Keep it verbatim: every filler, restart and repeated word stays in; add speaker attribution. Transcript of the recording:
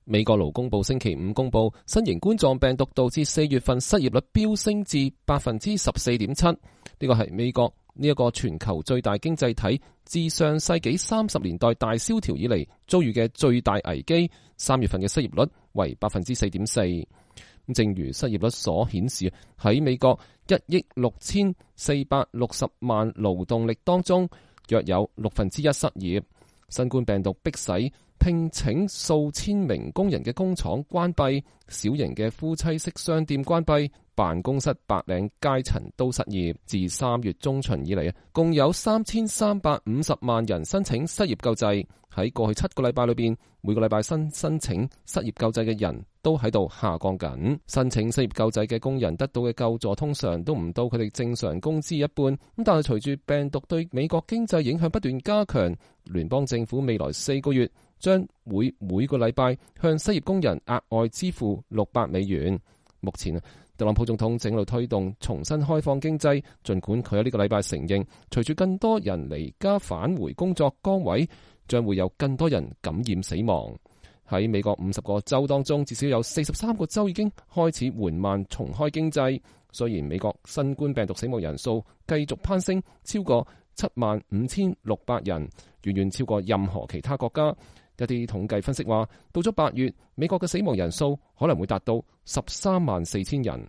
Speaker 1: 美國勞工部星期五公布，新型冠狀病毒導致四月份失業率飆升至百分之十四點七，呢個係美國呢一個全球最大經濟體自上世紀三十年代大蕭條以嚟遭遇嘅最大危機。三月份嘅失業率為百分之四點四。正如失業率所顯示，喺美國一億六千四百六十萬勞動力當中，約有六分之一失業。新冠病毒迫使聘請數千名工人嘅工廠關閉，小型嘅夫妻式商店關閉，辦公室白領階層都失業。自三月中旬以嚟，共有三千三百五十萬人申請失業救濟。喺過去七個禮拜裏邊，每個禮拜新申請失業救濟嘅人都喺度下降緊。申請失業救濟嘅工人得到嘅救助通常都唔到佢哋正常工資一半。咁但係隨住病毒對美國經濟影響不斷加強，聯邦政府未來四個月將會每個禮拜向失業工人額外支付六百美元。目前特朗普總統正喺度推動重新開放經濟，儘管佢喺呢個禮拜承認，隨住更多人離家返回工作崗位，將會有更多人感染死亡。喺美國五十個州當中，至少有四十三個州已經開始緩慢重開經濟。雖然美國新冠病毒死亡人數繼續攀升，超過七萬五千六百人，遠遠超過任何其他國家。一啲統計分析話，到咗八月，美國嘅死亡人數可能會達到十三萬四千人。